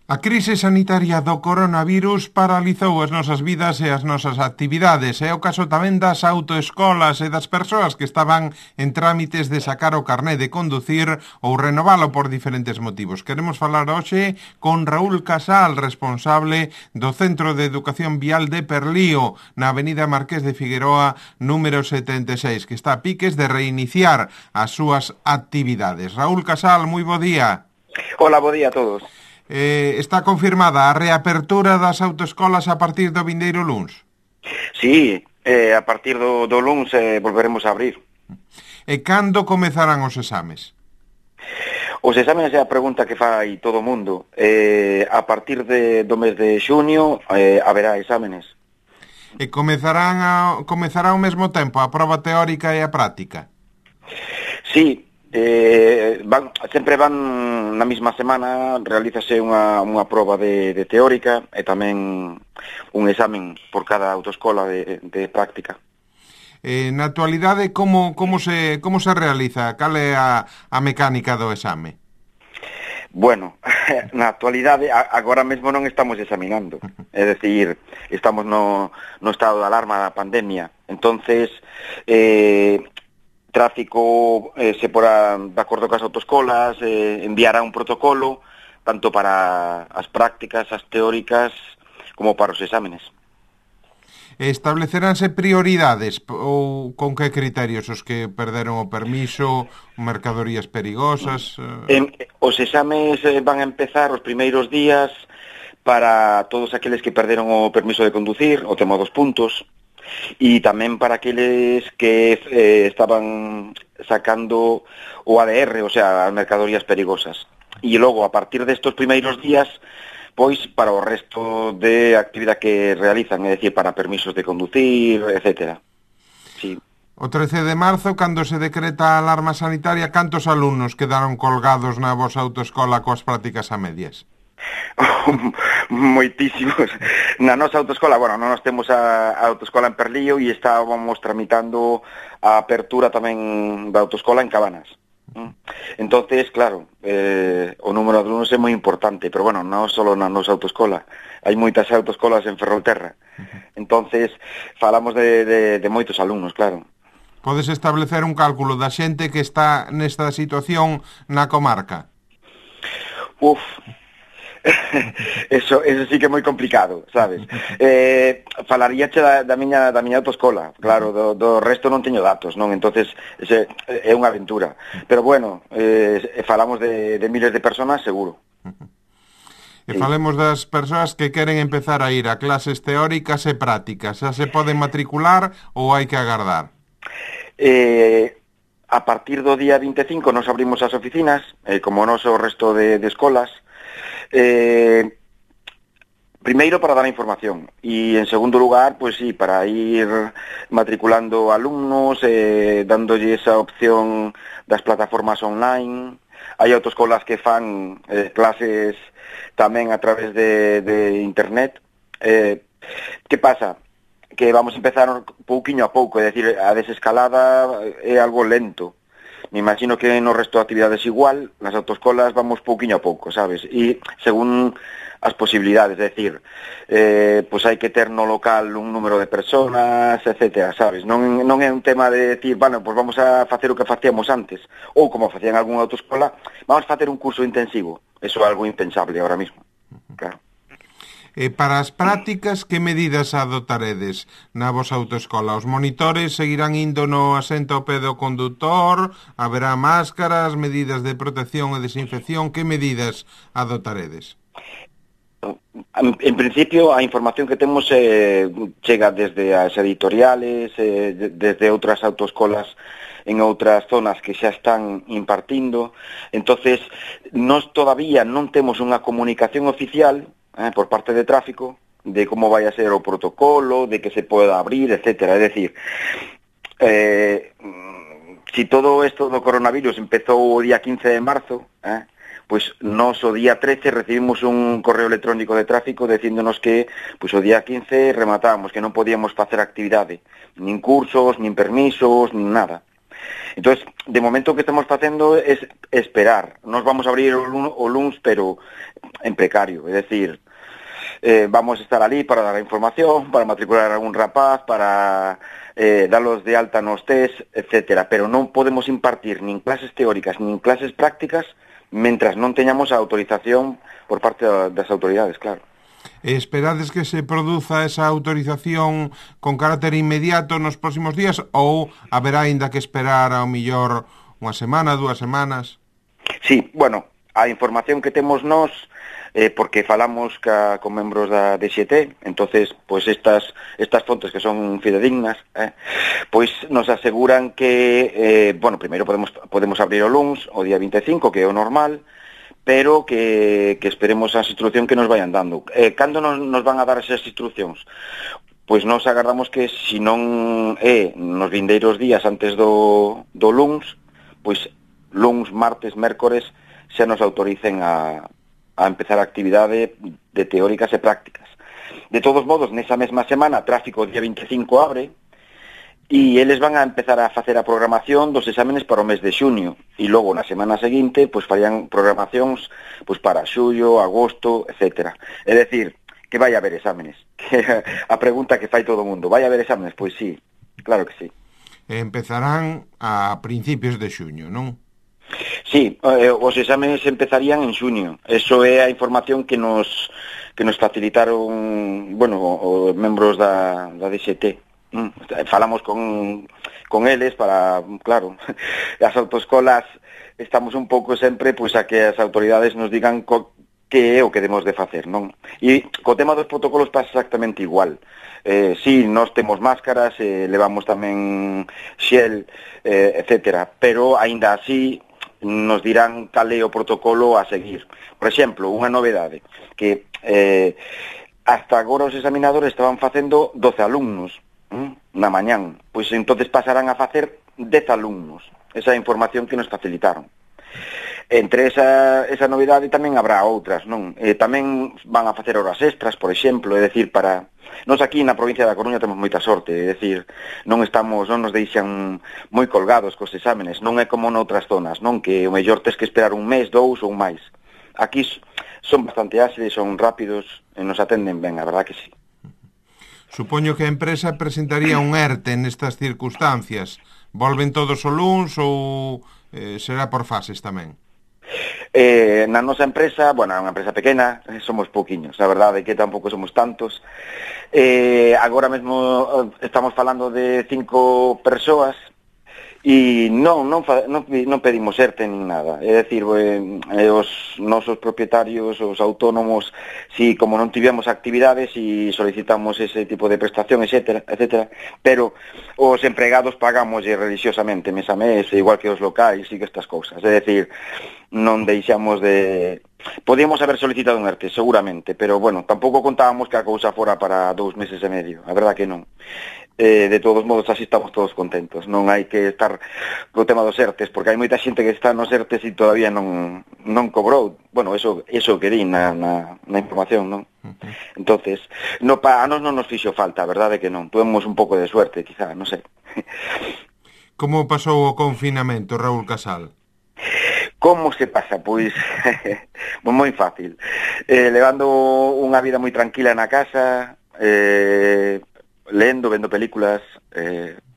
A crise sanitaria do coronavirus paralizou as nosas vidas e as nosas actividades. É o caso tamén das autoescolas e das persoas que estaban en trámites de sacar o carné de conducir ou renovalo por diferentes motivos. Queremos falar hoxe con Raúl Casal, responsable do Centro de Educación Vial de Perlío, na avenida Marqués de Figueroa, número 76, que está a piques de reiniciar as súas actividades. Raúl Casal, moi bo día. Hola, bo día a todos. Está confirmada a reapertura das autoescolas a partir do vindeiro luns? Sí, a partir do luns volveremos a abrir. E cando comezarán os exames? Os exames é a pregunta que fai todo o mundo. A partir do mes de xunio haberá exámenes. E comezará ao mesmo tempo a proba teórica e a práctica? Sí, sempre van na mesma semana, realízase unha proba de teórica e tamén un examen por cada autoescola de práctica. Na actualidade, como se realiza? Cal é a mecánica do exame? Bueno, na actualidade, agora mesmo non estamos examinando. É dicir, estamos no estado de alarma da pandemia. Entonces, tráfico se porá de acordo cas autoescolas, enviará un protocolo tanto para as prácticas, as teóricas, como para os exámenes. Estableceránse prioridades ou con que criterios? Os que perderon o permiso, mercadorías perigosas? Os exames van a empezar os primeiros días para todos aqueles que perderon o permiso de conducir, o tema dos puntos, e tamén para aqueles que estaban sacando o ADR, o sea, as mercadorías perigosas. E logo, a partir destos primeiros días, pois para o resto de actividade que realizan, é dicir, para permisos de conducir, etc. Sí. O 13 de marzo, cando se decreta a alarma sanitaria, cantos alumnos quedaron colgados na vosa autoescola coas prácticas a medias? Moitísimos. Na nosa autoescola, bueno, non nos temos a autoescola en Perlío e estábamos tramitando a apertura tamén da autoescola en Cabanas. Entonces, claro, o número de alumnos é moi importante, pero bueno, non só na nosa autoescola, hai moitas autoescolas en Ferrolterra. Entonces, falamos de moitos alumnos, claro. Podes establecer un cálculo da xente que está nesta situación na comarca? Eso sí que é moi complicado, sabes? Falaríache da miña autoescola, claro, do resto non teño datos, non? Entonces é unha aventura. Pero bueno, falamos de miles de personas, seguro. E falemos das persoas que queren empezar a ir a clases teóricas e prácticas. Xa se poden matricular ou hai que agardar? A partir do día 25 nos abrimos as oficinas, como nos o resto de escolas. Primeiro para dar información e en segundo lugar, pues sí, para ir matriculando alumnos, dándolle esa opción das plataformas online. Hai autoescolas que fan clases tamén a través de internet. Que pasa? Que vamos a empezar pouquiño a pouco, é dicir, a desescalada é algo lento. Me imagino que no resto de actividades igual, nas autoescolas vamos pouquiño a pouco, sabes? E según as posibilidades, é dicir, pois hai que ter no local un número de personas, etcétera, sabes? Non é un tema de decir, bueno, pois vamos a facer o que facíamos antes, ou como facían algunha autoescola, vamos a facer un curso intensivo. Eso é algo impensable ahora mismo, claro. Para as prácticas, que medidas adoptaredes na vosa autoescola? Os monitores seguirán indo no asento ao pé do condutor? Haberá máscaras, medidas de protección e desinfección? Que medidas adoptaredes? En principio, a información que temos chega desde as editoriales, desde outras autoescolas en outras zonas que xa están impartindo. Entonces, nós todavía non temos unha comunicación oficial por parte de tráfico, de como vai a ser o protocolo, de que se poda abrir, etcétera. É dicir, si todo isto do coronavirus empezou o día 15 de marzo, pois nós o día 13 recibimos un correo electrónico de tráfico dicíndonos que pois o día 15 rematábamos, que non podíamos facer actividade, nin cursos, nin permisos, nin nada. Entonces, de momento o que estamos facendo es esperar. Nos vamos a abrir o luns, pero en precario, é dicir, vamos a estar ali para dar a información, para matricular a algún rapaz, para darlos de alta nos test, etcétera, pero non podemos impartir nin clases teóricas nin clases prácticas mentras non teñamos a autorización por parte das autoridades, claro. Esperades que se produza esa autorización con carácter inmediato nos próximos días ou haberá ainda que esperar ao millor unha semana, 2 semanas? Sí, bueno, a información que temos nós, porque falamos con membros da DXT, entonces, pois estas fontes que son fidedignas, pois nos aseguran que, bueno, primeiro podemos abrir o luns, o día 25, que é o normal, pero que esperemos as instruccións que nos vayan dando. Cando nos van a dar esas instruccións? Pois nos agardamos que, se non é nos vindeiros días antes do luns, pois luns, martes, mércores, xa nos autoricen a empezar a actividade de teóricas e prácticas. De todos modos, nesa mesma semana, Tráfico día 25 abre, e eles van a empezar a facer a programación dos exámenes para o mes de xuño, e logo na semana seguinte, pois farían programacións pois para xullo, agosto, etcétera. É dicir, que vai haber exámenes. Que a pregunta que fai todo o mundo, vai haber exámenes? Pois sí, claro que sí. Empezarán a principios de xuño, non? Sí, os exámenes empezarían en xuño. Eso é a información que nos facilitaron, bueno, os membros da DXT. Falamos con eles para, claro, as autoescolas estamos un pouco sempre pois a que as autoridades nos digan que é o que debemos de facer, non? E co tema dos protocolos pasa exactamente igual. Sí, nós temos máscaras, levamos tamén xel, etcétera, pero aínda así nos dirán cal é o protocolo a seguir. Por exemplo, unha novedade, que hasta agora os examinadores estaban facendo 12 alumnos na mañán, pois entonces pasarán a facer 10 alumnos. Esa información que nos facilitaron. Entre esa novidade tamén habrá outras, non? Tamén van a facer horas extras, por exemplo, é dicir, para... Nos aquí na provincia da Coruña temos moita sorte, é dicir, non nos deixan moi colgados cos exámenes, non é como noutras zonas, non? Que o mellor tes que esperar un mes, 2 ou máis. Aquí son bastante áxiles, son rápidos e nos atenden ben, a verdad que sí. Supoño que a empresa presentaría un ERTE nestas circunstancias. Volven todos o luns ou será por fases tamén? Na nosa empresa, bueno, é unha empresa pequena, somos pouquiños, a verdade é que tampouco somos tantos. Agora mesmo estamos falando de 5 persoas e non pedimos ERTE nin nada. É dicir, os nosos propietarios, os autónomos, si como non tivemos actividades e solicitamos ese tipo de prestación, etcétera, pero os empregados pagamos religiosamente mes a mes, igual que os locais e que estas cousas. É dicir, non deixamos de... Podíamos haber solicitado un ERTE, seguramente, pero, bueno, tampouco contábamos que a cousa fora para 2 meses e medio, a verdad que non. De todos modos, así estamos todos contentos. Non hai que estar co tema dos ERTES, porque hai moita xente que está nos ERTES e todavía non cobrou. Bueno, eso que di na información, non? Entonces, a nos non nos fixo falta, a verdade que non. Tuvemos un pouco de suerte, quizá, non sei. Como pasou o confinamento, Raúl Casal? Como se pasa? Pois moi fácil. Levando unha vida moi tranquila na casa, lendo, vendo películas,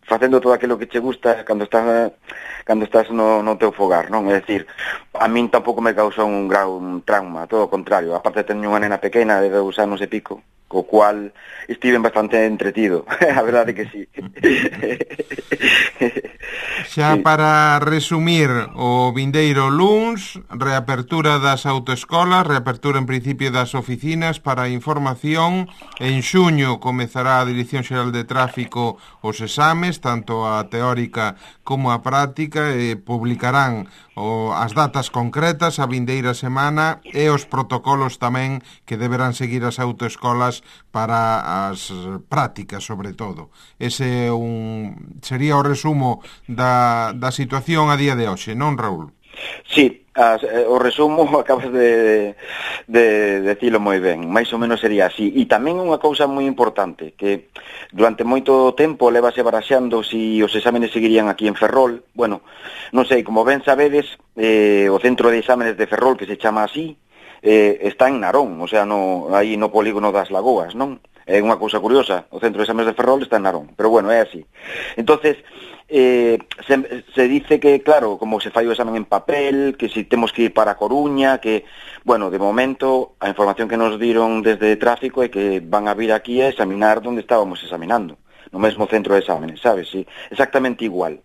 facendo todo aquilo que che gusta cando estás no teu fogar, non? É dicir, a min tampouco me causou un trauma, todo o contrario. Aparte teño unha nena pequena de 2 anos e pico, co cual estive bastante entretido, a verdade que sí. Xa para resumir, o vindeiro luns, reapertura das autoescolas, reapertura en principio das oficinas para información. En xuño comezará a Dirección Xeral de Tráfico os exames, tanto a teórica como a práctica, e publicarán as datas concretas a vindeira semana e os protocolos tamén que deberán seguir as autoescolas para as prácticas, sobre todo. Ese sería o resumo da situación a día de hoxe, non, Raúl? Sí, O resumo acabas de decilo moi ben, máis ou menos sería así. E tamén unha cousa moi importante, que durante moito tempo levase baraxando si os exámenes seguirían aquí en Ferrol. Bueno, non sei, como ben sabedes, o centro de exámenes de Ferrol, que se chama así, está en Narón, o sea, aí no polígono das Lagoas, non? É unha cousa curiosa, o centro de exámenes de Ferrol está en Narón, pero bueno, é así. Entonces, se dice que, claro, como se fai o examen en papel, que si temos que ir para a Coruña, que, bueno, de momento, a información que nos diron desde tráfico é que van a vir aquí a examinar onde estábamos examinando, no mesmo centro de exámenes, sabes? Sí, exactamente igual.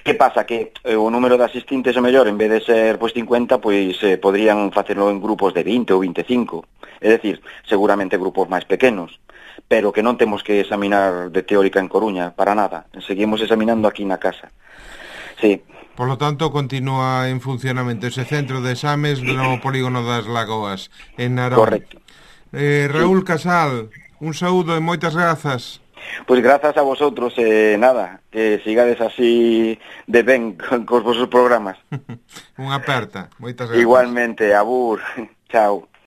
Que pasa? Que o número de asistentes, o mellor, en vez de ser pois 50, pois podrían facelo en grupos de 20 ou 25, é dicir, seguramente grupos máis pequenos, pero que non temos que examinar de teórica en Coruña, para nada, seguimos examinando aquí na casa. Sí. Por lo tanto, continúa en funcionamento ese centro de exames no polígono das Lagoas, en Narón. Correcto. Raúl Casal, un saúdo e moitas grazas. Pois grazas a vosotros, nada, que sigades así de ben cos vosos programas. Unha aperta, moitas grazas. Igualmente, abur, chao.